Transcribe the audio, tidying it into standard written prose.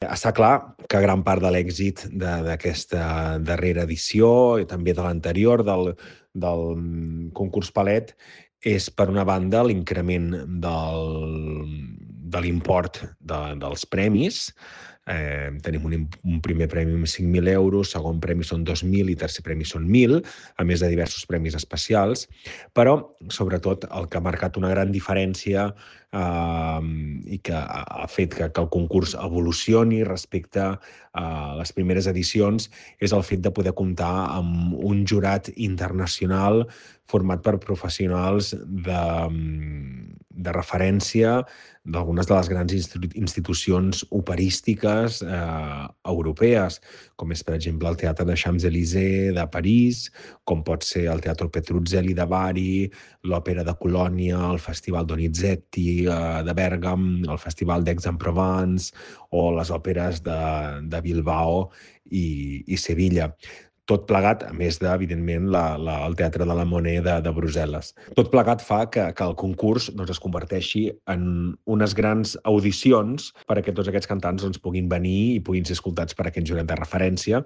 Està clar que gran part de l'èxit d'aquesta darrera edició i també de l'anterior, del concurs Palet, és, per una banda, l'increment de l'import dels premis. Tenim un primer premi amb 5.000 euros, segon premi són 2.000 i tercer premi són 1.000, a més de diversos premis especials. Però, sobretot, el que ha marcat una gran diferència i que ha fet que el concurs evolucioni respecte a les primeres edicions és el fet de poder comptar amb un jurat internacional format per professionals de referència d'algunes de les grans institucions operístiques europees, com és, per exemple, el Teatre de Champs-Élysées de París, com pot ser el Teatro Petruzzelli de Bari, l'Òpera de Colònia, el Festival Donizetti de Bèrgam, el Festival d'Aix-en-Provence o les òperes de Bilbao i Sevilla. Tot plegat, a més de, evidentment, el Teatre de la Monnaie de Brussel·les. Tot plegat fa que el concurs es converteixi en unes grans audicions perquè tots aquests cantants puguin venir i puguin ser escoltats per aquest jurat de referència.